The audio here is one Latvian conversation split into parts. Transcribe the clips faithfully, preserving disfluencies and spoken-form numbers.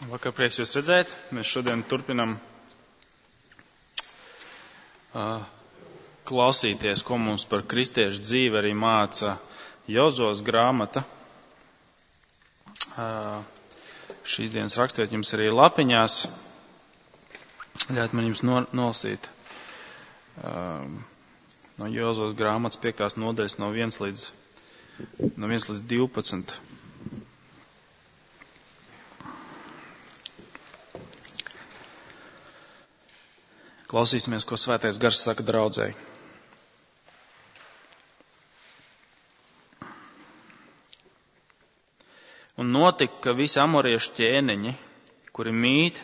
Vakar prieks jūs redzēt. Mēs šodien turpinam uh, klausīties, ko mums par kristiešu dzīvi arī māca Jozos grāmata. Uh, šīs dienas rakstvieta jums arī lapiņās. Ļaujiet man jums no, nolasīt uh, no Jozos grāmatas piektās nodaļas no viens līdz, no viens līdz divpadsmit. Klausīsimies, ko Svētais Gars saka draudzei. Un notika, ka visi amoriešu ķēniņi, kuri mīt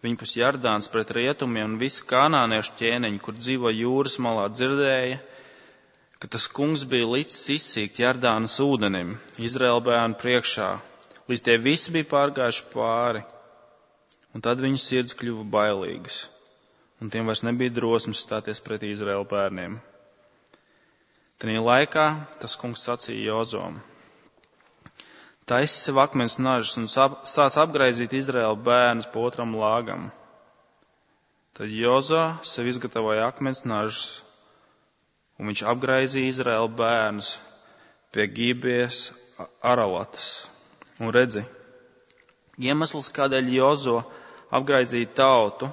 viņpus Jardāns pret rietumiem, un visi kanāniešu ķēniņi, kur dzīvo jūras malā, dzirdēja, ka tas kungs bija licis izsīkt Jardānas ūdenim, Izraēla bērnu priekšā, līdz tie visi bija pārgājuši pāri, un tad viņu sirds kļuva bailīgas. Un tiem vairs nebija drosmes stāties pretī Izraēla bērniem. Tajā laikā tas kungs sacīja Jozom: taisi sev akmens nažus un sāc apgraizīt Izraēla bērnus pa otram lāgam. Tad Jozo sev izgatavoja akmens nažus, un viņš apgraizīja Izraēla bērnus pie Gibijas Aralatas. Un redzi, iemesls, kādēļ Jozo apgraizīja tautu,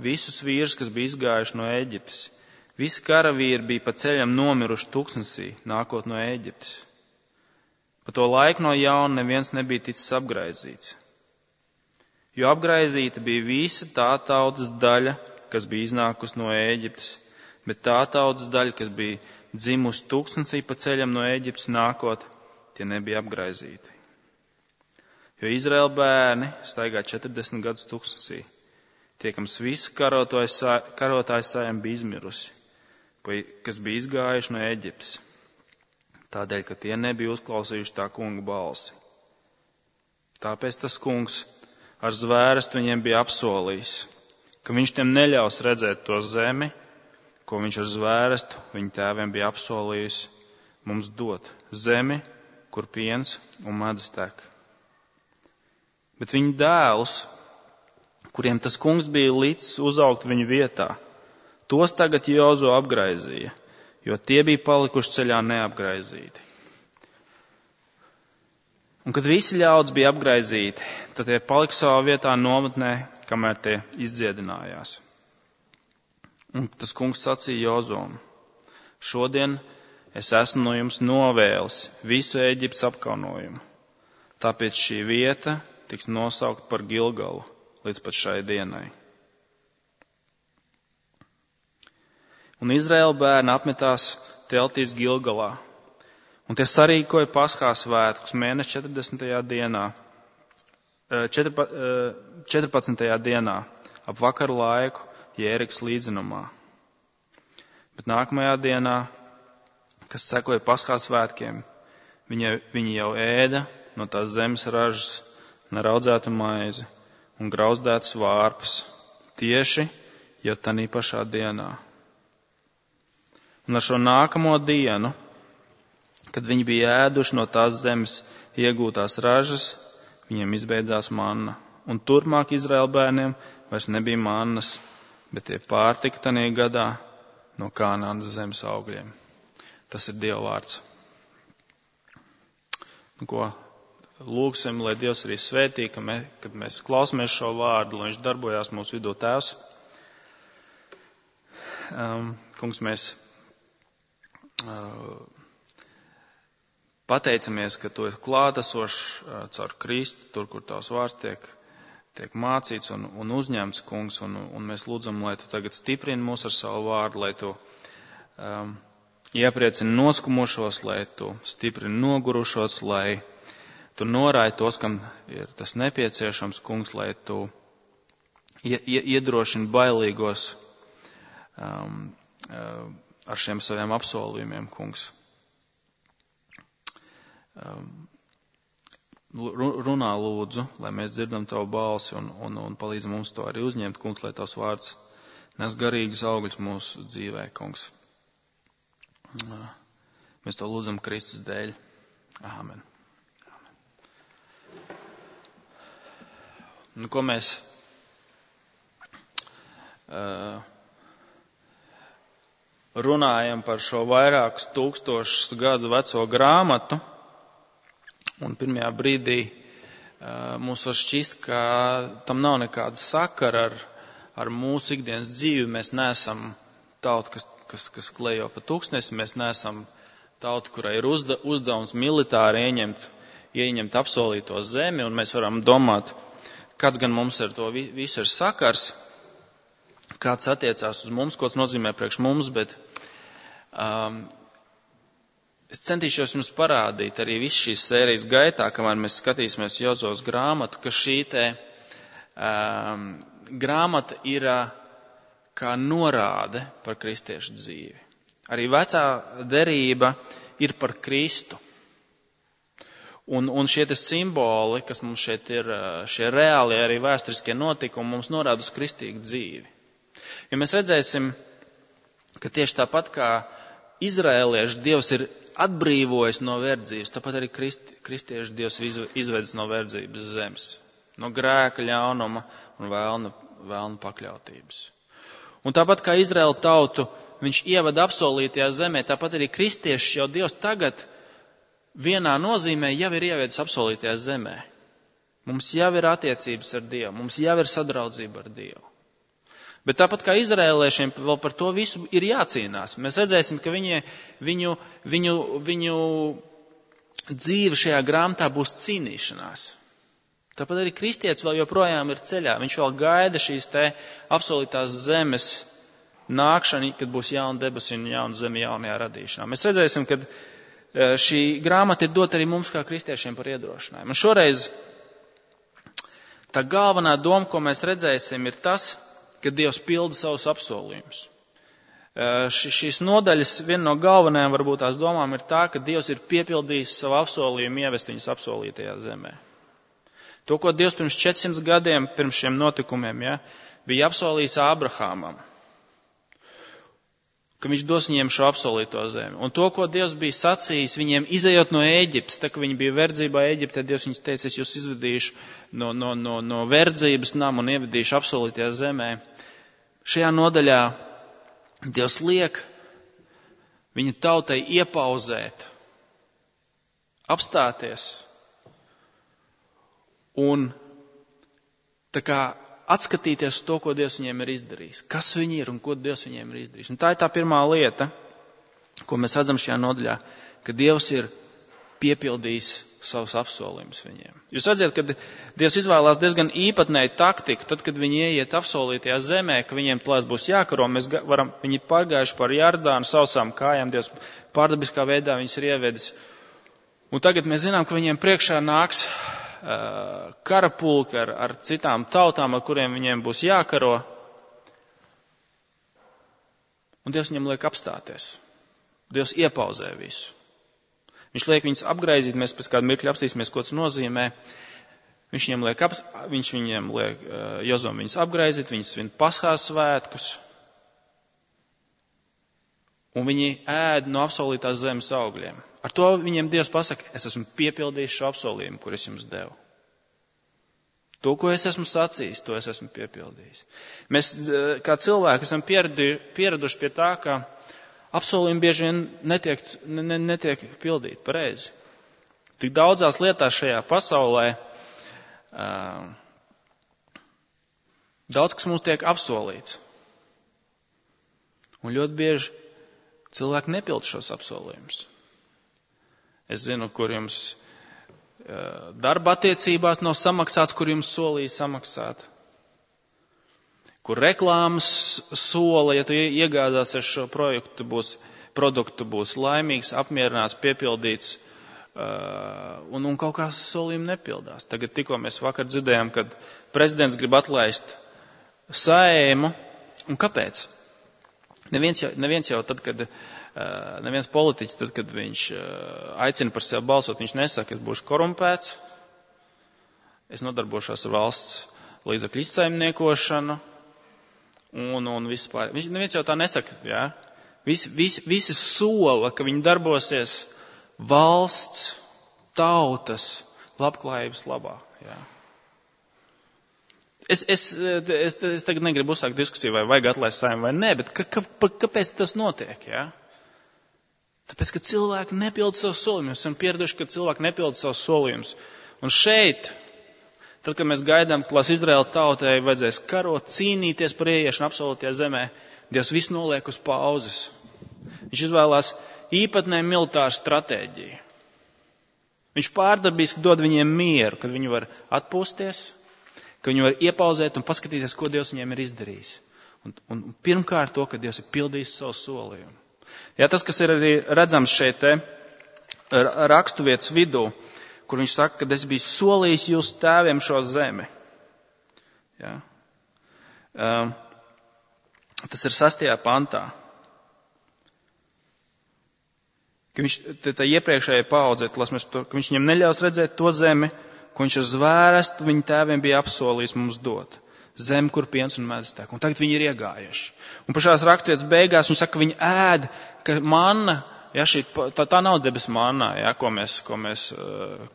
visus vīrus, kas bija izgājuši no Ēģiptes. Visi karavīri bija pa ceļam nomiruši tuksnesī, nākot no Ēģiptes. Pa to laiku no jauna neviens nebija ticis apgraizīts. Jo apgraizīta bija visa tā tautas daļa, kas bija iznākusi no Ēģiptes, bet tā tautas daļa, kas bija dzimusi tuksnesī pa ceļam no Ēģiptes nākot, tie nebija apgraizīti. Jo Izraēla bērni staigā četrdesmit gadus tuksnesī. Tiekams visi karotājs sajam bija izmirusi, kas bija izgājuši no Eģiptes, tādēļ, ka tie nebija uzklausījuši tā kunga balsi. Tāpēc tas kungs ar zvērestu viņiem bija apsolījis, ka viņš tiem neļaus redzēt to zemi, ko viņš ar zvērestu viņu tēviem bija apsolījis mums dot, zemi, kur piens un medus tek. Bet viņu dēlus, kuriem tas kungs bija licis uzaugt viņu vietā, tos tagad Jozo apgraizīja, jo tie bija palikuši ceļā neapgraizīti. Un kad visi ļaudis bija apgraizīti, tad tie palika savā vietā nometnē, kamēr tie izdziedinājās. Un tas kungs sacīja Jozom: šodien es esmu no jums novēlis visu Ēģiptes apkaunojumu, tāpēc šī vieta tiks nosaukt par Gilgalu līdz pat šai dienai. Un Izraēla bērni apmetās teltīs Gilgalā, un tie sarīkoja Paskā svētkus mēneša četrdesmitajā dienā, četrpadsmitajā dienā, ap vakaru laiku Jērikas līdzenumā. Bet nākamajā dienā, kas sekoja Paskā svētkiem, viņi, viņi jau ēda no tās zemes ražas neraudzētu maizi un grauzdētas vārpas, tieši jau tanī pašā dienā. Un ar šo nākamo dienu, kad viņi bija ēduši no tās zemes iegūtās ražas, viņiem izbeidzās manna. Un turpmāk Izraēla bērniem vairs nebija mannas, bet tie pārtika tanī gadā no Kanānas zemes augļiem. Tas ir Dieva vārds. Nu, ko? Lūksim, lai Dievs arī svētī, ka mē, kad mēs klausamies šo vārdu, lai viņš darbojās mūsu vidū. Tēvs. Um, kungs, mēs uh, pateicamies, ka tu esi klātesošs uh, caur Kristu, tur, kur tavs vārds tiek, tiek mācīts un, un uzņemts, kungs, un, un mēs lūdzam, lai tu tagad stiprini mūs ar savu vārdu, lai tu um, iepriecini noskumušos, lai tu stiprini nogurušos, lai tu norādi tos, kam ir tas nepieciešams, kungs, lai tu iedrošini bailīgos um, um, ar šiem saviem apsolījumiem, kungs. Um, runā lūdzu, lai mēs dzirdam tavu balsi un, un, un palīdzi mums to arī uzņemt, kungs, lai tavs vārds nes garīgus augļus mūsu dzīvē, kungs. Mēs to lūdzam Kristus dēļ. Āmen. nu, ko mēs uh, runājam par šo vairākus tūkstošus gadu veco grāmatu, un pirmajā brīdī uh, mums var šķist, ka tam nav nekāda sakara ar, ar mūsu ikdienas dzīvi. Mēs neesam tauta, kas, kas, kas klejo pa tūkstnesi, mēs neesam tauta, kurai ir uzda, uzdevums militāri ieņemt, ieņemt apsolīto zemi, un mēs varam domāt, kāds gan mums ar to visu ir sakars, kāds attiecās uz mums, ko tas nozīmē priekš mums, bet um, es centīšos jums parādīt arī visu šīs sērijas gaitā, kamēr mēs skatīsimies Jozos grāmatu, ka šī te um, grāmata ir uh, kā norāde par kristiešu dzīvi. Arī vecā derība ir par Kristu. Un, un šie te simboli, kas mums šeit ir, šie reālie arī vēsturiskie notikumi, mums norāda uz kristīgu dzīvi. Ja mēs redzēsim, ka tieši tāpat kā izraēlieši Dievs ir atbrīvojis no verdzības, tāpat arī kristi, kristieši Dievs izvedis no verdzības zemes, no grēka, ļaunuma un vēlna, vēlna pakļautības. Un tāpat kā Izraēla tautu viņš ievada apsolītajā zemē, tāpat arī kristieši jau Dievs tagad vienā nozīmē jau ir ievedis apsolītajā zemē. Mums jau ir attiecības ar Dievu, mums jau ir sadraudzība ar Dievu. Bet tāpat kā izraēliešiem vēl par to visu ir jācīnās. Mēs redzēsim, ka viņi, viņu, viņu, viņu dzīve šajā grāmatā būs cīnīšanās. Tāpat arī kristietis vēl joprojām ir ceļā. Viņš vēl gaida šīs te apsolītās zemes nākšanu, kad būs jauna debesis un jauna zeme jaunajā radīšanā. Mēs redzēsim, ka šī grāmata ir dota arī mums kā kristiešiem par iedrošinājumu. Un šoreiz tā galvenā doma, ko mēs redzēsim, ir tas, ka Dievs pilda savus apsolījumus. Šīs nodaļas viena no galvenajām varbūt tās domām ir tā, ka Dievs ir piepildījis savu apsolījumu ievest viņus apsolītajā zemē. To, ko Dievs pirms četrsimt gadiem, pirms šiem notikumiem, ja, bija apsolījis Ābrahamam, ka viņš dos viņiem šo apsolīto zemi. Un to, ko Dievs bija sacījis viņiem izejot no Ēģiptes, tā, ka viņi bija verdzībā Ēģiptē, Dievs viņus teica, es jūs izvedīšu no, no, no, no verdzības nama un ievedīšu apsolītajā zemē. Šajā nodaļā Dievs liek viņa tautai iepauzēt, apstāties un tā kā atskatīties uz to, ko Dievs viņiem ir izdarījis. Kas viņi ir un ko Dievs viņiem ir izdarījis. Un tā ir tā pirmā lieta, ko mēs redzam šajā nodaļā, ka Dievs ir piepildījis savus apsolījumus viņiem. Jūs redzat, ka Dievs izvēlās diezgan īpatnēju taktiku, tad, kad viņi ieiet apsolītajā zemē, ka viņiem tulēs būs jākaro, mēs varam, viņi pārgājuši par Jardānu sausām kājām, Dievs pārdabiskā veidā viņus ir ievedis. Un tagad mēs zinām, ka viņiem priekšā nāks karapulki ar, ar citām tautām, ar kuriem viņiem būs jākaro. Un Dievs viņam liek apstāties. Dievs iepauzē visu. Viņš liek viņus apgraizīt, mēs pēc kādu mirkļu apstīsimies, ko tas nozīmē. Viņš viņiem liek, aps, viņš viņiem liek Jozom viņus apgraizīt, viņus svin Paskās svētkus. Un viņi ēd no apsolītās zemes augļiem. Ar to viņiem Dievs pasaka, es esmu piepildījis šo apsolījumu, kur es jums devu. To, ko es esmu sacījis, to es esmu piepildījis. Mēs, kā cilvēki, esam pieraduši pie tā, ka apsolījumi bieži vien netiek, ne, netiek pildīti pareizi. Tik daudzās lietās šajā pasaulē uh, daudz, kas mums tiek apsolīts. Un ļoti bieži cilvēki nepild šos apsolījumus. Es zinu, kur jums uh, darba attiecībās nav samaksāts, kur jums solīja samaksāt. Kur reklāmas sola, ja tu iegādāsies šo projektu, būs, produktu, būs laimīgs, apmierināts, piepildīts, uh, un, un kaut kā solījumi nepildās. Tagad tikko mēs vakar dzirdējām, kad prezidents grib atlaist Saeimu, un kāpēc? Neviens jau, neviens jau tad, kad, uh, neviens politiķis, tad, kad viņš uh, aicina par sevi balsot, viņš nesaka, es būšu korumpēts, es nodarbošos ar valsts līdzekļu izsaimniekošanu, Un, un vispār. Viņš neviens jau tā nesaka, jā. Visi, visi, visi sola, ka viņi darbosies valsts, tautas, labklājības labā, jā. Es, es, es, es tagad negribu uzsākt diskusiju, vai vajag atlaist Saeimu vai nē, bet ka, ka, kāpēc tas notiek, jā? Tāpēc, ka cilvēki nepilda savus solījumus. Esam pieraduši, ka cilvēki nepilda savus solījumus. Un šeit, tad, kad mēs gaidām, ka Izraēla tautai vajadzēs karot, cīnīties par ieiešanu apsolītajā zemē, Dievs visu noliek uz pauzes. Viņš izvēlās īpatnēju militāru stratēģiju. Viņš pārdabiski dod viņiem mieru, kad viņi var atpūsties, ka viņi var iepauzēt un paskatīties, ko Dievs viņiem ir izdarījis. Un, un pirmkārt to, ka Dievs ir pildījis savu solījumu. Jā, tas, kas ir arī redzams šeit te raksturvietas vidū, kur viņš saka, ka es biju solījis jūsu tēviem šo zemi. Jā. Um, tas ir sastajā pantā. Ka viņš, tā iepriekšējā paudze, ka viņš viņam neļaus redzēt to zemi, ko viņš ar zvērestu viņa tēviem bija apsolījis mums dot. Zem, kur piens un medus tek. Un tagad viņi ir iegājuši. Un pašās raksturvietas beigās viņš saka, ka viņi ēd, ka manna, ja, šī, tā, tā nav debes manna, ja, ko, mēs, ko, mēs,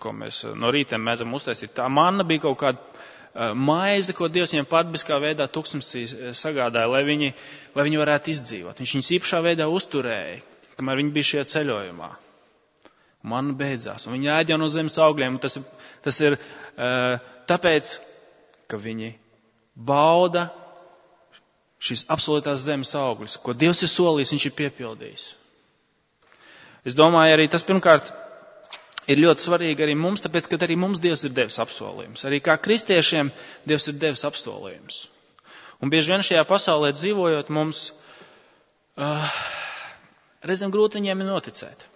ko mēs no rītiem mēdzam uztaisīt. Tā manna bija kaut kāda maize, ko Dievs viņiem patbiskā veidā tuksnesī sagādāja, lai viņi, lai viņi varētu izdzīvot. Viņš viņus īpašā veidā uzturēja, kamēr viņi bija šajā ceļojumā. Manna beidzās, un viņi ēd jau no zemes augļiem. Tas, tas ir uh, tāpēc, ka viņi bauda šīs apsolītās zemes augļus, ko Dievs ir solījis, viņš ir piepildījis. Es domāju, arī tas pirmkārt ir ļoti svarīgi arī mums, tāpēc, ka arī mums Dievs ir devis apsolījums. Arī kā kristiešiem Dievs ir devis apsolījums. Un bieži vien šajā pasaulē dzīvojot mums, uh, reizēm grūti viņiem ir noticēt.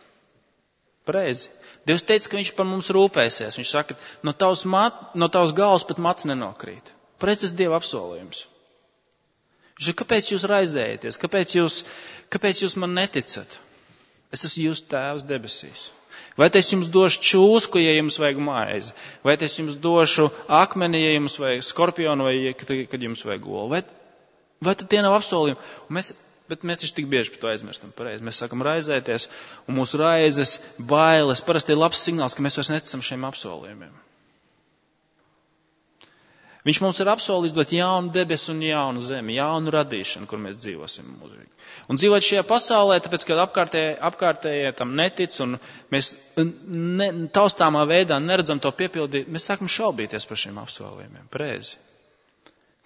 Pareizi. Dievs teica, ka viņš par mums rūpēsies. Viņš saka, no tavas, mat, no tavas galvas pat mats nenokrīt. Pareizi, tas Dieva apsolījums. Viņš saka, kāpēc jūs raizējaties? Kāpēc jūs, kāpēc jūs man neticat? Es esmu jūsu tēvs debesīs. Vai es jums došu čūsku, ja jums vajag maizi? Vai es jums došu akmeni, ja jums vajag skorpionu, vai kad jums vajag olu? Vai, vai tad tie nav apsolījumi? Un mēs, bet mēs taču tik bieži par to aizmirstam. Pareizi. Mēs sākam raizēties, un mūsu raizes, bailes, parasti ir labs signāls, ka mēs vairs neticam šiem apsolījumiem. Viņš mums ir apsolījis dot jaunu debesu un jaunu zemi, jaunu radīšanu, kur mēs dzīvosim mūžīgi. Un dzīvot šajā pasaulē, tāpēc, ka apkārtējie, apkārtējie tam netic un mēs ne, taustāmā veidā neredzam to piepildīt, mēs sākam šaubīties par šiem apsolījumiem. Pareizi.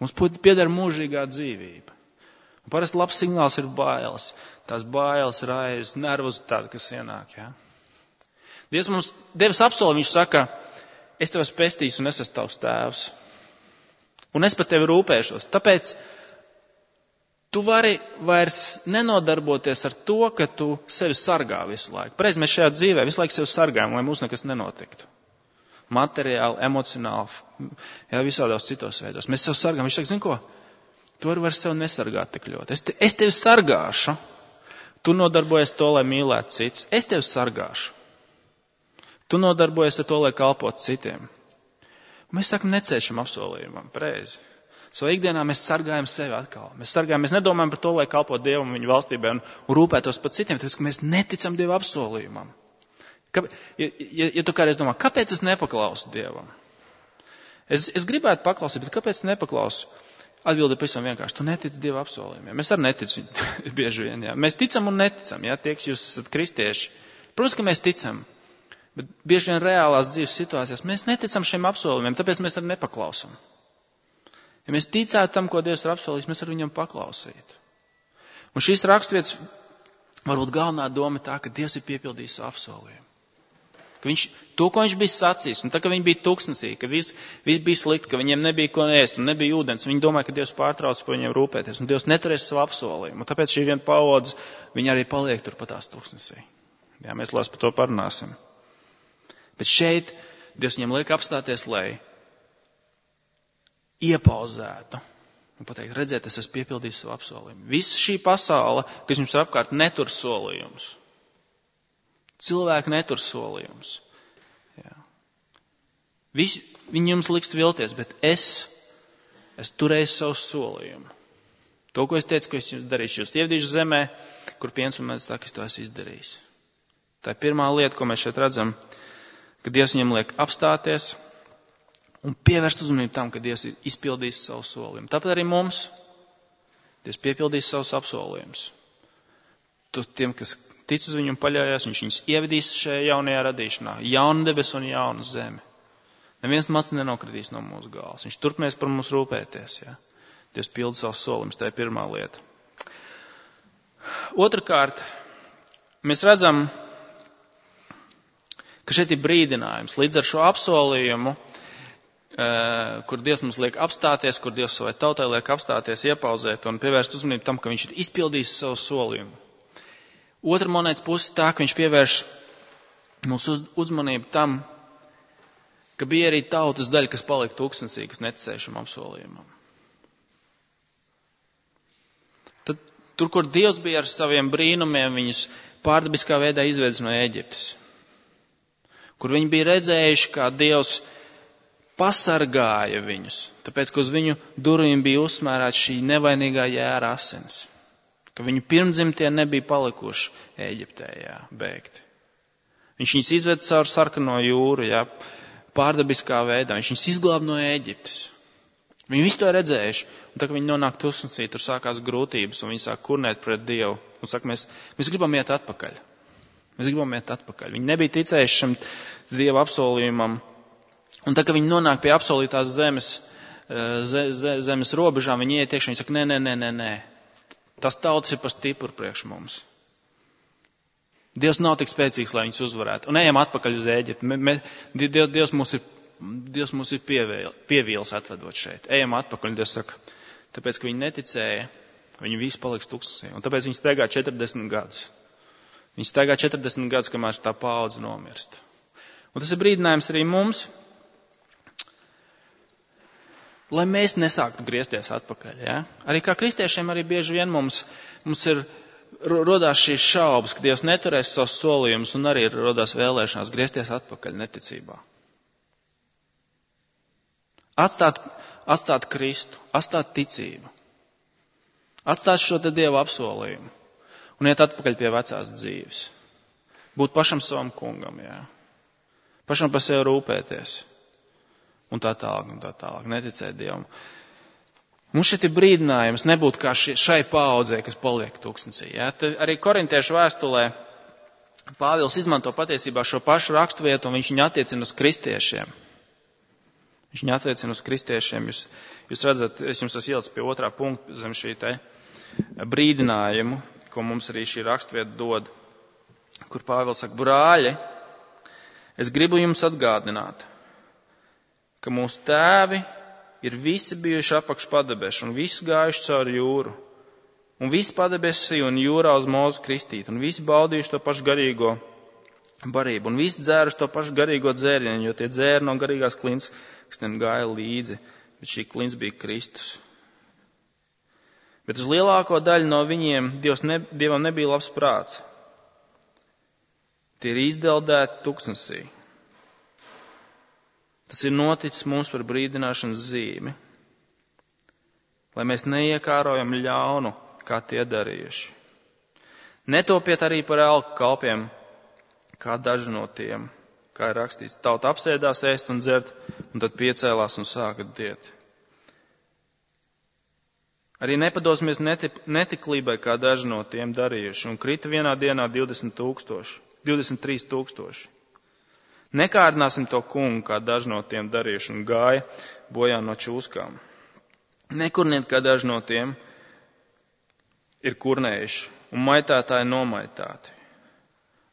Mums pieder mūžīgā dzīvība. Un parasti labs signāls ir bailes. Tās bailes, raizes, nervozitāte, kas ienāk. Ja? Dievs mums devis apsolījumu, viņš saka, es tev esmu pestīts un es esmu tavs tēvs. Un es par tevi rūpēšos. Tāpēc tu vari vairs nenodarboties ar to, ka tu sevi sargā visu laiku. Pareizi, mēs šajā dzīvē visu laiku sevi sargājam, lai mums nekas nenotiktu. Materiāli, emocionāli, jā, visādos citos veidos. Mēs sevi sargājam. Viņš saka, zini ko? Tu vari vairs sevi nesargāt tik ļoti. Es, te, es tevi sargāšu. Tu nodarbojies to, lai mīlētu citus. Es tevi sargāšu. Tu nodarbojies ar to, lai kalpotu citiem. Mēs sakam, necēšam apsolījumam, pareizi. Savā ikdienā mēs sargājam sevi atkal. Mēs sargājam, mēs nedomājam par to, lai kalpotu Dievam un viņa valstībai un, un rūpētos par citiem, tāpēc, ka mēs neticam Dieva apsolījumam. Kā, ja, ja, ja tu kādreiz domā, kāpēc es nepaklausu Dievam? Es, es gribētu paklausīt, bet kāpēc nepaklausu? Atbilde pavisam vienkārši, tu netici Dieva apsolījumiem. Mēs arī neticam bieži vien, jā. Mēs ticam un neticam, jā, tie, kas jūs esat kristieši. Protams, ka mēs ticam. Bet bieži vien reālās dzīves situācijās mēs neticam šiem apsolījumiem, tāpēc mēs arī nepaklausam. Ja mēs ticētu tam, ko Dievs ir apsolījis, mēs ar viņam paklausītu. Un šīs raksturvietas varbūt galvenā doma tā, ka Dievs ir piepildījis savu apsolījumu. Ka viņš, to, ko viņš bija sacījis, un tā, ka viņi bija tuksnesī, ka viss, viss bija slikti, ka viņiem nebija ko ēst un nebija ūdens, viņi domāja, ka Dievs pārtrauc par viņiem rūpēties, un Dievs neturēs savu apsolījumu. Un tāpēc šī viena paudze, viņi arī paliek tur pat tās tuksnesī. Jā, mēs lās par to parunāsim. Bet šeit Dievs viņam liek apstāties, lai iepauzētu un pateikt, redziet, es esmu piepildījis savu apsolījumu. Viss šī pasaule, kas jums ir apkārt, netur solījumus. Cilvēki netur solījumus. Jā. Visi, viņi jums liks vilties, bet es, es turēju savu solījumu. To, ko es teicu, ko es jums darīšu, jūs ievadīšu zemē, kur piens un medus tek, es to esmu izdarījis. Tā ir pirmā lieta, ko mēs šeit redzam, ka Dievs viņam liek apstāties Un pievērst uzmanību tam, ka Dievs ir izpildījis savu solījumu. Tāpat arī mums Dievs piepildīs savus apsolījumus. Tu tiem, kas tic uz viņu un paļaujas, viņš viņus ievedīs šajā jaunajā radīšanā. Jaunu debesu un jaunu zemi. Neviens mats nenokritīs no mūsu galvas. Viņš turpinās par mums rūpēties. Ja? Dievs pilda savus solījumus, tā ir pirmā lieta. Otrakārt, mēs redzam, ka šeit ir brīdinājums. Līdz ar šo apsolījumu, kur Dievs mums liek apstāties, kur Dievs savai tautai liek apstāties, iepauzēt un pievērst uzmanību tam, ka viņš ir izpildījis savu solījumu. Otra monētas puse tā, ka viņš pievērš mūsu uzmanību tam, ka bija arī tautas daļa, kas palika tūkstnesī, kas neticēja šim apsolījumam. Tad, tur, kur Dievs bija ar saviem brīnumiem, viņus pārdabiskā veidā izvedis no Ēģiptes. Kur viņi bija redzējuši, kā Dievs pasargāja viņus, tāpēc, ka uz viņu durvīm bija uzsmērēts šī nevainīgā jēra asins. Ka viņu pirmdzimtie nebija palikuši Ēģiptē, jā, bēgti. Viņš viņus izved caur sarkano jūru, jā, pārdabiskā veidā. Viņš viņus izglāb no Ēģiptes. Viņi visu to redzējuši. Un tā, ka viņi nonāk tūkstnesī, tur sākās grūtības, un viņi sāk kurnēt pret Dievu. Un saka, mēs, mēs gribam iet atpakaļ. Mēs gribam iet atpakaļ. Viņi nebija ticējuši šim Dieva apsolījumam. Un tā, ka viņi nonāk pie apsolītās zemes, ze, ze, zemes robežām, viņi iet iekšā, viņi saka, nē, nē, nē, nē, nē. Tas tautas ir par stipru priekš mums. Dievs nav tik spēcīgs, lai viņus uzvarētu. Un ejam atpakaļ uz Ēģipti. Dievs, Dievs mūs ir, Dievs mūs ir pievēl, pievīls atvedot šeit. Ejam atpakaļ. Dievs saka, tāpēc, ka viņi neticēja, viņi visi paliks tūkstnesī. Un tāpēc viņi staigā četrdesmit gadus. Viņi staigā četrdesmit gadus, kamēr tā paudze nomirst. Un tas ir brīdinājums arī mums, lai mēs nesāktu griezties atpakaļ. Ja? Arī kā kristiešiem arī bieži vien mums, mums ir rodās šīs šaubas, ka Dievs neturēs savus solījumus un arī rodās vēlēšanās griezties atpakaļ neticībā. Atstāt, atstāt Kristu, atstāt ticību. Atstāt šo te Dieva apsolījumu un iet atpakaļ pie vecās dzīves. Būt pašam savam kungam, jā. Pašam par sevi rūpēties. Un tā tālāk, un tā tālāk, neticēt Dievam. Mums šeit ir brīdinājums nebūt kā šai paaudzē, kas paliek tūkstnesī. Ja? Arī korintiešu vēstulē Pāvils izmanto patiesībā šo pašu raksturvietu, un viņš viņu attiecina uz kristiešiem. Viņš viņu attiecina uz kristiešiem. Jūs, jūs redzat, es jums esmu ielicis pie otrā punkta zem šī te brīdinājumu, ko mums arī šī raksturvieta dod, kur Pāvils saka, brāļi, es gribu jums atgādināt, ka mūsu tēvi ir visi bijuši apakš padebešu un visi gājuši cauri jūru. Un visi padebesī un jūrā uz Mūzu kristīt. Un visi baudījuši to pašu garīgo barību. Un visi dzēruši to pašu garīgo dzērienu, jo tie dzēri no garīgās klints, kas tiem gāja līdzi. Bet šī klints bija Kristus. Bet uz lielāko daļu no viņiem Dievs ne, Dievam nebija labs prāts. Tie ir izdeldēti tūkstnesī. Tas ir noticis mums par brīdināšanas zīmi, lai mēs neiekārojam ļaunu, kā tie darījuši. Netopiet arī par elku kalpiem, kā daži no tiem, kā ir rakstīts. Tauta apsēdās ēst un dzert, un tad piecēlās un sāka diet. Arī nepadosimies netip, netiklībai, kā daži no tiem darījuši, un krita vienā dienā divdesmit tūkstoši, divdesmit trīs tūkstoši. Nekārdināsim to kungu, kā daži no tiem darījuši, un gāja bojā no čūskām. Nekurniet, kā daži no tiem ir kurnējuši, un maitētāji nomaitāti.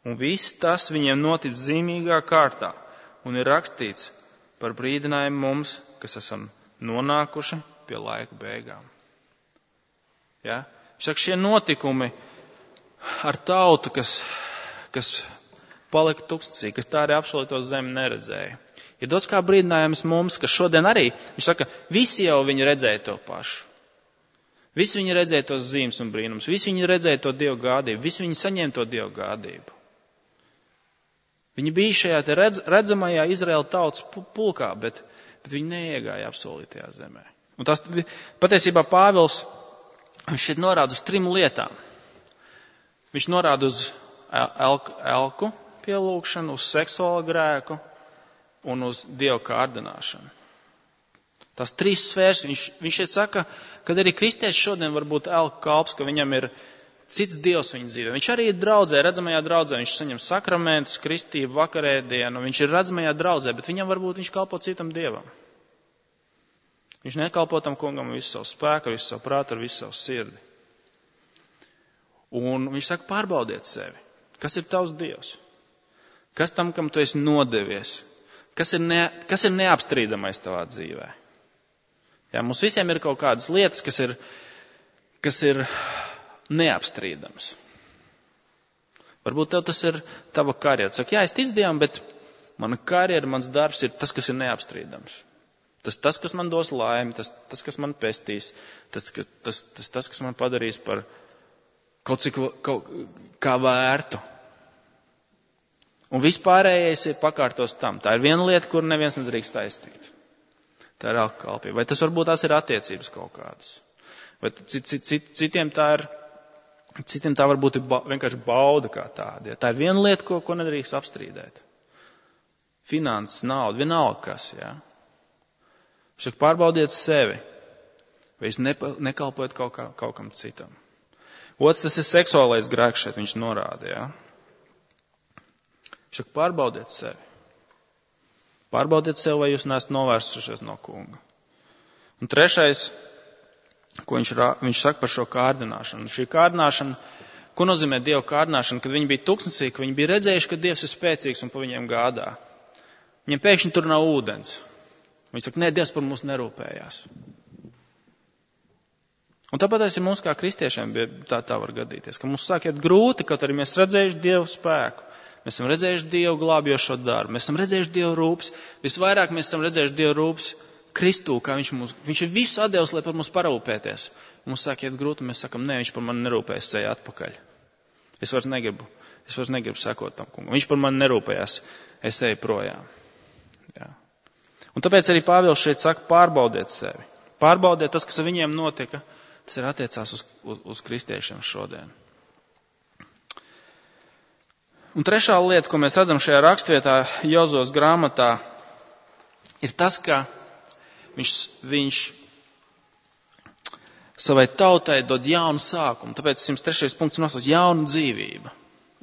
Un viss tas viņiem notic zīmīgā kārtā, un ir rakstīts par brīdinājumu mums, kas esam nonākuši pie laika beigām. Ja? Saka, šie notikumi ar tautu, kas, kas palika tūkstnesī, kas tā arī apsolīto zemi neredzēja. Ir dots kā brīdinājums mums, ka šodien arī, viņš saka, visi jau viņi redzēja to pašu. Visi viņi redzēja tos zīmes un brīnums, visi viņi redzēja to Dievu gādību, visi viņi saņēma to Dievu gādību. Viņi bija šajā te redz, redzamajā Izraēla tautas pulkā, bet, bet viņi neiegāja apsolītajā zemē. Un tas patiesībā Pāvils, viņš šeit norāda uz trim lietām. Viņš norāda uz elku, elku pielūgšanu, uz seksuālu grēku un uz Dievu kārdināšanu. Tās trīs sfēras, viņš, viņš šeit saka, kad arī kristietis šodien var būt elku kalps, ka viņam ir cits dievs viņa dzīvē. Viņš arī ir draudzē, redzamajā draudzē, viņš saņem sakramentus, kristību, vakarēdienu, viņš ir redzamajā draudzē, bet viņam varbūt viņš kalpo citam dievam. Viņš nekalpo tam kungam visu savu spēku, visu savu prātu, visu savu sirdi. Un viņš saka, pārbaudiet sevi. Kas ir tavs dievs? Kas tam, kam tu esi nodevies? Kas ir, ne, kas ir neapstrīdamais tavā dzīvē? Jā, mums visiem ir kaut kādas lietas, kas ir, kas ir neapstrīdams. Varbūt tev tas ir tava karjera. Tu saki, jā, es ticu Dievam, bet mana karjera, mans darbs ir tas, kas ir neapstrīdams. Tas, tas kas man dos laimi, tas, tas kas man pestīs, tas, tas, tas, tas, kas man padarīs par kaut cik kaut, kā vērtu. Un vispārējais ir pakārtos tam. Tā ir viena lieta, kur neviens nedrīkst aiztikt. Tā ir elku kalpība. Vai tas varbūt tās ir attiecības kaut kādas? Vai cit, cit, cit, citiem tā ir, citiem tā varbūt ir ba, vienkārši bauda kā tāda. Ja? Tā ir viena lieta, ko, ko nedrīkst apstrīdēt. Finanses, nauda, vienalga kas, jā. Šak pārbaudiet sevi. Vai jūs nepa, nekalpojat kaut, kā, kaut kam citam. Otrs, tas ir seksuālais grēks šeit, viņš norāda, jā. Šak pārbaudiet sevi. Pārbaudiet sev, vai jūs neesat novērsušies no kunga. Un trešais, ko viņš, viņš saka par šo kārdināšanu. Šī kārdināšana, ko nozīmē Dieva kārdināšana, kad viņi bija tuksnesī, ka viņi bija redzējuši, ka Dievs ir spēcīgs un pa viņiem gādā. Viņiem pēkšņi tur nav ūdens. Viņi saka, nē, Dievs par mums nerūpējās. Un tāpēc arī mums kā kristiešiem tā, tā var gadīties, ka mums sāk iet grūti, kaut arī mēs redzējuši Dievu spēku. Mēs esam redzējuši Dievu glābjošo darbu. Mēs esam redzējuši Dievu rūpes. Visvairāk mēs esam redzējuši Dievu rūpes Kristū, kā viņš mums, viņš ir visu atdevis, lai par mums parūpēties. Mums sāk iet grūti, un mēs sakam, nē, viņš par mani nerūpējas, ej atpakaļ. Es vairs negribu, es vairs negribu sekot tam kungam. Viņš par mani nerūpējās, es eju projām. Jā. Un tāpēc arī Pāvils šeit saka, pārbaudiet sevi. Pārbaudiet tas, kas ar viņiem notika, tas ir attiecās uz, uz, uz kristiešiem šodien. Un trešā lieta, ko mēs redzam šajā rakstvietā, Jozos grāmatā, ir tas, ka viņš, viņš savai tautai dod jaunu sākumu. Tāpēc simts trešais punkts nosauc jaunu dzīvību.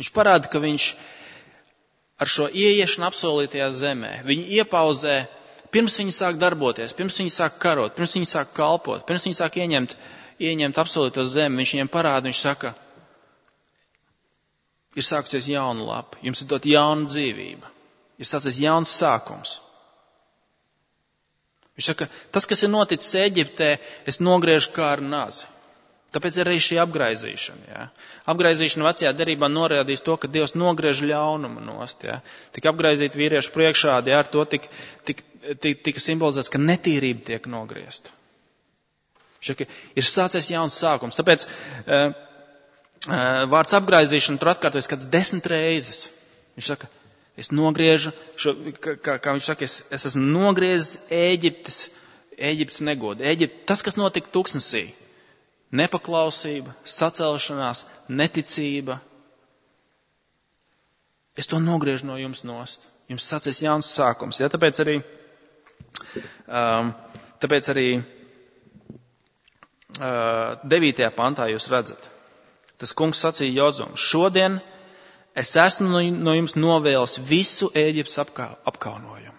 Viņš parāda, ka viņš ar šo ieiešanu apsolītajā zemē, viņu iepauzē, pirms viņi sāk darboties, pirms viņi sāk karot, pirms viņi sāk kalpot, pirms viņi sāk ieņemt, ieņemt apsolīto zemi, viņš viņiem parāda, viņš saka, ir sākusies jauna lapa, jums ir dot jauna dzīvība, ir sācies jauns sākums. Viņš saka, tas, kas ir noticis Eģiptē, es nogriežu kā ar nazi. Tāpēc ir arī šī apgraizīšana. Jā. Apgraizīšana vecajā derībā norādīs to, ka Dievs nogriež ļaunumu nost. Jā. Tik apgraizīt vīriešu priekšādi, jā, ar to tika tik, tik, tik simbolizēts, ka netīrība tiek nogriezta. Viņš saka, ir sācies jauns sākums. Tāpēc uh, vārds apgraizīšana tur atkārtojas kāds desmit reizes. Viņš saka, es nogriežu, šo, kā, kā viņš saka, es, es esmu nogriezis Ēģiptes, Ēģiptes negodu. Ēģipte, tas, kas notika tuksnesī, nepaklausība, sacelšanās, neticība. Es to nogriežu no jums nost. Jums sācies jauns sākums. Ja? Tāpēc arī, um, tāpēc arī uh, devītajā pantā jūs redzat. Tas kungs sacīja Jozum, šodien es esmu no jums novēlis visu Ēģiptes apkā, apkaunojumu.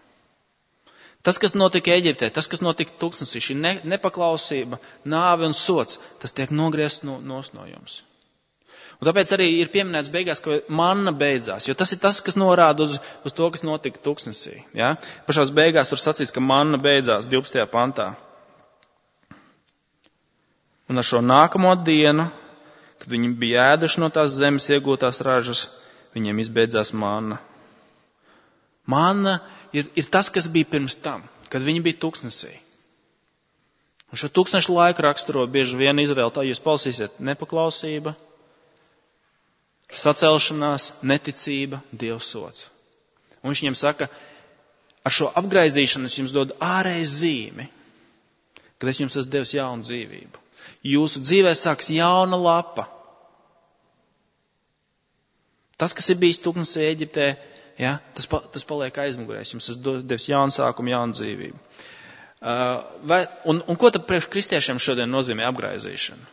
Tas, kas notika Eģiptē, tas, kas notika tuksnesī, šī ne, nepaklausība, nāve un sots, tas tiek nogriezts no, no jums. Un tāpēc arī ir pieminēts beigās, ka manna beidzās, jo tas ir tas, kas norāda uz, uz to, kas notika tuksnesī. Ja? Pašās beigās tur sacīs, ka manna beidzās divpadsmitajā pantā. Un ar šo nākamo dienu, kad viņi bija ēduši no tās zemes iegūtās ražas, viņiem izbeidzās manna. Manna ir, ir tas, kas bija pirms tam, kad viņi bija tuksnesī. Un šo tūkstnešu laiku raksturo bieži vien Izraēla, tā jūs palasīsiet, nepaklausība, sacelšanās, neticība, Dieva sots. Un viņš viņiem saka, ar šo apgraizīšanu es jums dodu ārēju zīmi, kad es jums esmu devis jaunu dzīvību. Jūsu dzīvē sāks jauna lapa. Tas, kas ir bijis tuksnesī Eģiptē, ja, tas, pa, tas paliek aizmugurē. Jums esmu devis jaunu sākumu, jaunu dzīvību. Vai, un, un ko tad priekš kristiešiem šodien nozīmē apgraizīšana?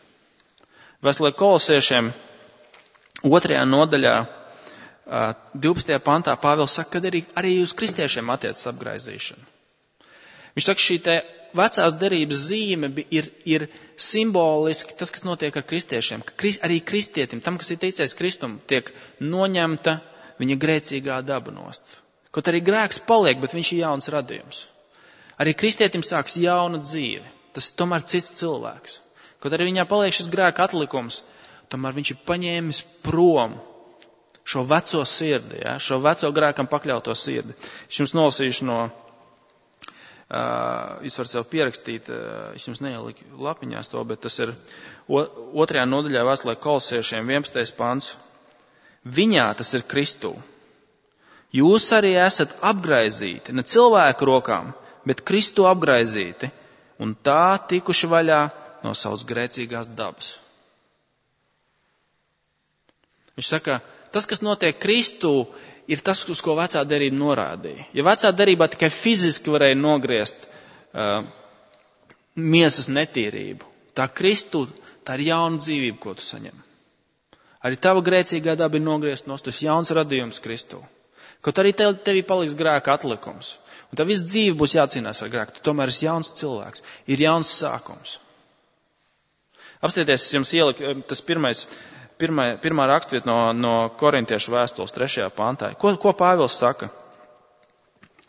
Vēstulē Kolosiešiem otrajā nodaļā, divpadsmitajā pantā Pāvils saka, ka arī, arī uz kristiešiem attiecas apgraizīšana. Viņš saka, šī te vecās derības zīme ir, ir simboliski tas, kas notiek ar kristiešiem. Ka krist, arī kristietim, tam, kas ir ticējis Kristum, tiek noņemta viņa grēcīgā daba nost. Kaut arī grēks paliek, bet viņš ir jauns radījums. Arī kristietim sāks jauna dzīve. Tas ir tomēr cits cilvēks. Kaut arī viņā paliek šis grēka atlikums, tomēr viņš ir paņēmis prom šo veco sirdi, ja? Šo veco grēkam pakļauto sirdi. Es jums nolasīšu no, uh, jūs varat sev pierakstīt, uh, es jums neieliku lapiņās to, bet tas ir otrajā nodaļā vēstulē Kolosiešiem vienpadsmitais pants. Viņā, tas ir Kristū, jūs arī esat apgraizīti, ne cilvēku rokām, bet Kristu apgraizīti, un tā tikuši vaļā no savas grēcīgās dabas. Viņš saka, tas, kas notiek Kristū, ir tas, uz ko vecā derība norādīja. Ja vecā derībā tikai fiziski varēja nogriezt uh, miesas netīrību, tā Kristū, tā ir jauna dzīvība, ko tu saņem. Arī tava grēcīgā daba ir nogriezt no tas jauns radījums Kristū. Kaut arī tev, tevī paliks grēka atlikums. Un tā viss dzīve būs jācīnās ar grēku. Tu tomēr esi jauns cilvēks. Ir jauns sākums. Apstieties, es jums ieliku tas pirmais, pirmā, pirmā rakstvieta no, no Korintiešu vēstules trešajā pantā. Ko, ko Pāvils saka?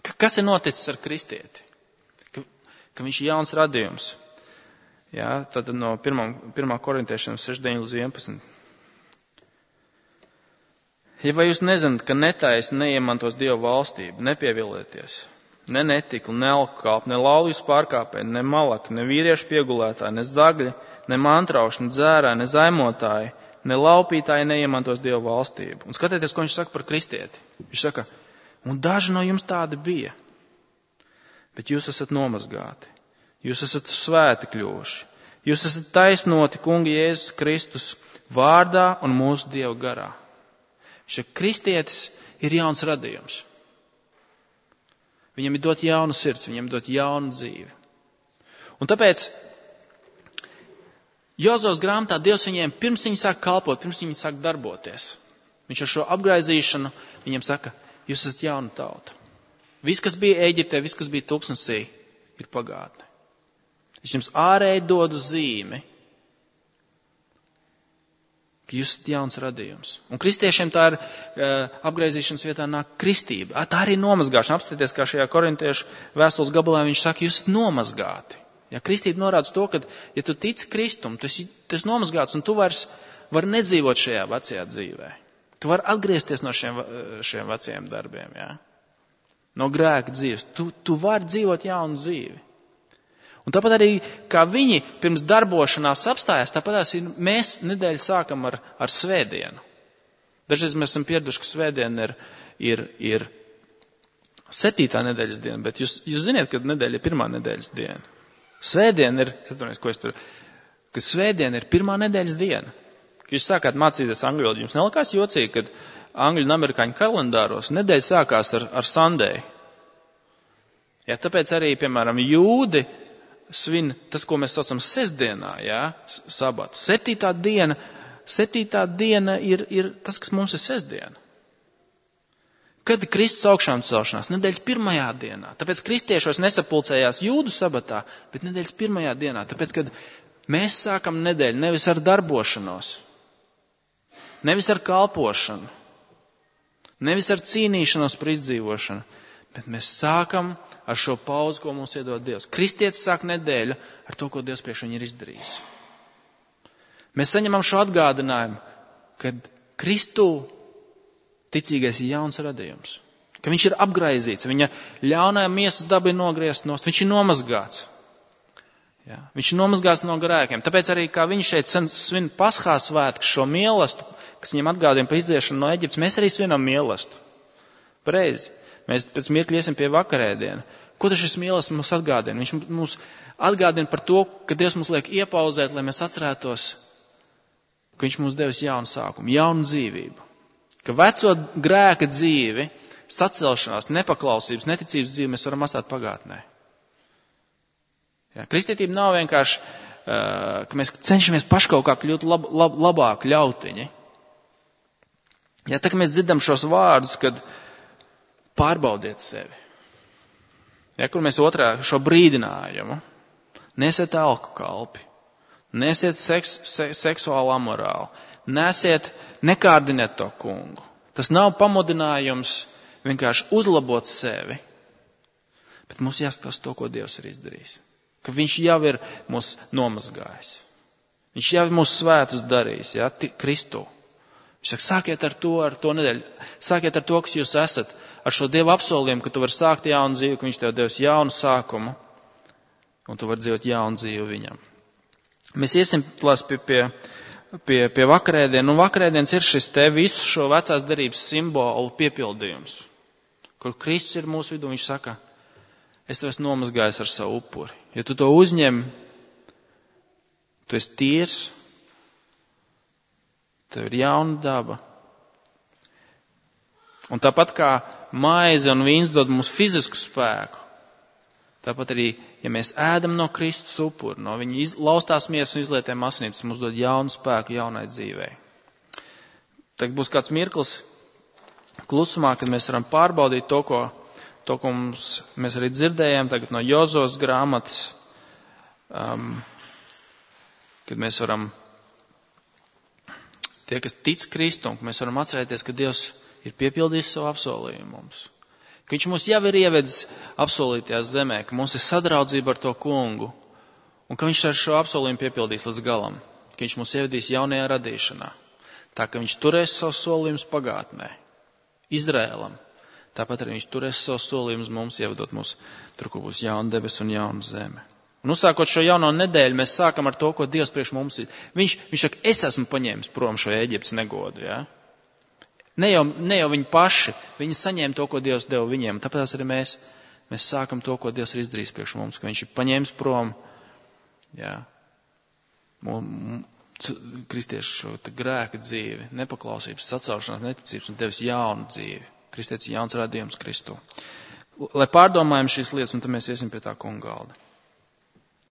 Ka, kas ir noticis ar kristieti? Ka, ka viņš ir jauns radījums. Jā, tad no pirmā, pirmā Korintiešiem seši deviņi līdz vienpadsmit. Ja vai jūs nezināt, ka netaisni neiemantos Dieva valstību, nepievilieties, ne netikli, ne alkoholi, ne laulības pārkāpēji, ne malaki, ne vīriešu piegulētāji, ne zagļi, ne mantrauši, ne dzērāji, ne zaimotāji, ne laupītāji neiemantos Dieva valstību. Un skatieties, ko viņš saka par kristieti. Viņš saka, un daži no jums tādi bija, bet jūs esat nomazgāti, jūs esat svēti kļuvuši, jūs esat taisnoti Kunga Jēzus Kristus vārdā un mūsu Dieva garā. Šis kristietis ir jauns radījums. Viņam ir dot jaunu sirds, viņam ir dot jaunu dzīvi. Un tāpēc Jozos grāmatā Dievs viņiem pirms viņi sāk kalpot, pirms viņi sāk darboties. Viņš ar šo apgraizīšanu viņiem saka, jūs esat jauna tauta. Viss, kas bija Ēģiptē, viss, kas bija tūkstnesī, ir pagātne. Es jums ārēji dodu zīmi, ka jūs esat jauns radījums. Un kristiešiem tā ir uh, apgraizīšanas vietā nāk kristība. Tā arī nomazgāšana. Apstieties, kā šajā korintiešu vēstules gabalā viņš saka, jūs esat nomazgāti. Ja kristība norāda to, ka, ja tu tici Kristum, tu esi, tu esi nomazgāts un tu vairs vari nedzīvot šajā vecajā dzīvē. Tu vari atgriezties no šiem, šiem vecajiem darbiem, ja? No grēka dzīves. Tu, tu vari dzīvot jaunu dzīvi. Un tāpat arī, kā viņi pirms darbošanās apstājās, tāpat arī mēs nedēļu sākam ar, ar svētdienu. Dažreiz mēs esam pieraduši, ka svētdiena ir, ir, ir septītā nedēļas diena, bet jūs, jūs ziniet, ka nedēļa ir pirmā nedēļas diena. Svētdiena ir, ko es tur, ka svētdiena ir pirmā nedēļas diena. Kad jūs sākāt mācīties angļu valodu, jums nelikās jocīgi, kad angļu un amerikāņu kalendāros nedēļa sākās ar, ar Sunday. Ja, tāpēc arī, piemēram, jūdi svin tas, ko mēs saucam sestdienā, jā, sabatu. Septītā diena, septītā diena ir, ir tas, kas mums ir sestdiena. Kad ir Kristus augšām celšanās? Nedēļas pirmajā dienā. Tāpēc kristiešos nesapulcējās jūdu sabatā, bet nedēļas pirmajā dienā. Tāpēc, kad mēs sākam nedēļu nevis ar darbošanos, nevis ar kalpošanu, nevis ar cīnīšanos par izdzīvošanu, bet mēs sākam ar šo pauzi, ko mums iedod Dievs. Kristietis sāk nedēļu ar to, ko Dievs priekš viņu ir izdarījis. Mēs saņemam šo atgādinājumu, kad Kristū ticīgais ir jauns radījums. Ka viņš ir apgraizīts, viņa ļaunā miesas daba ir nogriezta nost, viņš ir nomazgāts. Ja? Viņš ir nomazgāts no grēkiem. Tāpēc arī, kā viņš šeit svin Paschā svētku, šo mielastu, kas viņam atgādina par iziešanu no Eģiptes, mēs arī svinam mielastu. Pareizi. Mēs pēc mirkļa iesim pie vakarēdiena. Ko tas šis mīlestības mums atgādina? Viņš mums atgādina par to, ka Dievs mums liek iepauzēt, lai mēs atcerētos, ka viņš mums devis jaunu sākumu, jaunu dzīvību. Ka veco grēka dzīvi, sacelšanās, nepaklausības, neticības dzīvi mēs varam atstāt pagātnē. Jā, kristietība nav vienkārši, uh, ka mēs cenšamies paši kaut kā kļūt lab, lab, labāk ļautiņi. Jā, tā kā mēs dzirdam šos vārdus, kad pārbaudiet sevi. Jā, kur mēs otrā šo brīdinājumu. Nesiet alku kalpi, nesiet seks, se, seksuālu amorālu, nesiet, nekārdiniet to kungu. Tas nav pamudinājums vienkārši uzlabot sevi, bet mums jāskatās to, ko Dievs ir izdarījis. Ka viņš jau ir mūs nomazgājis. Viņš jau ir mūs svētus darījis, jā, Kristu. Viņš saka, sākiet ar to, ar to nedēļu. Sākiet ar to, kas jūs esat, ar šo Dieva apsolījumu, ka tu vari sākt jaunu dzīvi, ka viņš tev devis jaunu sākumu, un tu vari dzīvot jaunu dzīvi viņam. Mēs iesim pie, pie, pie, pie vakarēdien, un vakarēdienas ir šis te visu šo vecās derības simbolu piepildījums, kur Kristus ir mūsu vidū, viņš saka, es tev esmu nomazgājis ar savu upuri. Ja tu to uzņem, tu esi tīrs, tev ir jauna daba. Un tāpat kā maize un vīns dod mums fizisku spēku, tāpat arī, ja mēs ēdam no Kristus upura, no viņa iz, laustās miesas un izlietēm asinīm, tas mums dod jaunu spēku jaunai dzīvei. Tagad būs kāds mirklis klusumā, kad mēs varam pārbaudīt to, ko, to, ko mums, mēs arī dzirdējām tagad no Jozos grāmatas, um, kad mēs varam, tie, kas tic Kristum, mēs varam atcerēties, ka Dievs ir piepildījis savu apsolījumu mums. Ka viņš mūs jau ir ievedis apsolītajā zemē, ka mums ir sadraudzība ar to kungu, un ka viņš ar šo apsolījumu piepildīs līdz galam, ka viņš mūs ievedīs jaunajā radīšanā. Tā, ka viņš turēs savus solījumus pagātnē, Izrēlam, tāpat arī viņš turēs savus solījumus mums, ievedot mūs tur, kur būs jauna debes un jauna zeme. Un uzsākot šo jauno nedēļu, mēs sākam ar to, ko Dievs priekš mums ir. Viņš, viņš saka, es esmu paņēmis prom šo Ēģiptes negodu, jā. Ja? Ne jau, ne jau viņi paši, viņi saņēma to, ko Dievs deva viņiem. Tāpēc arī mēs, mēs sākam to, ko Dievs ir izdarījis priekš mums, ka viņš ir paņēmis prom, jā, kristiešu šo grēka dzīvi, nepaklausības, sacaušanās, neticības un devis jaunu dzīvi. Kristietis ir jauns radījums Kristu. Lai pārdomājam šīs lietas, un tad mēs iesim pie tā kunga galda.